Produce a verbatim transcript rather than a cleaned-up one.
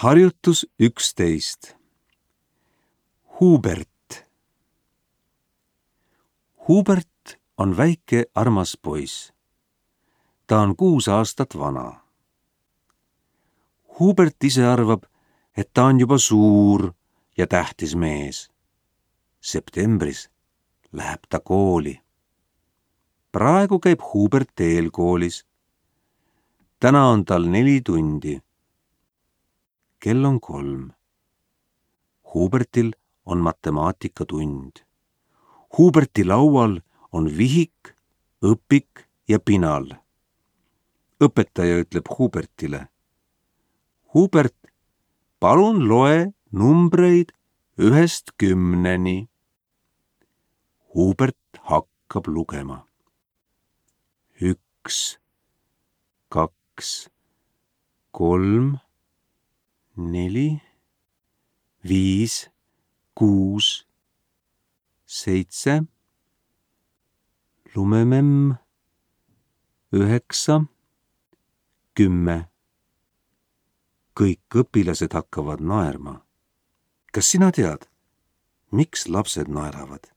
Harjutus üksteist. Hubert. Hubert on väike armas poiss. Ta on kuus aastat vana. Hubert ise arvab, et ta on juba suur ja tähtis mees. Septembris läheb ta kooli. Praegu käib Hubert eelkoolis. Täna on tal neli tundi. Kell on kolm. Hubertil on matemaatikatund. Huberti laual on vihik, õpik ja pinal. Õpetaja ütleb Hubertile: Hubert, palun loe numbreid ühest kümneni. Hubert hakkab lugema. Üks, kaks, kolm, neli, viis, kuus, seitse, lumememm, üheksa, kümme. Kõik õpilased hakkavad naerma. Kas sina tead, miks lapsed naeravad?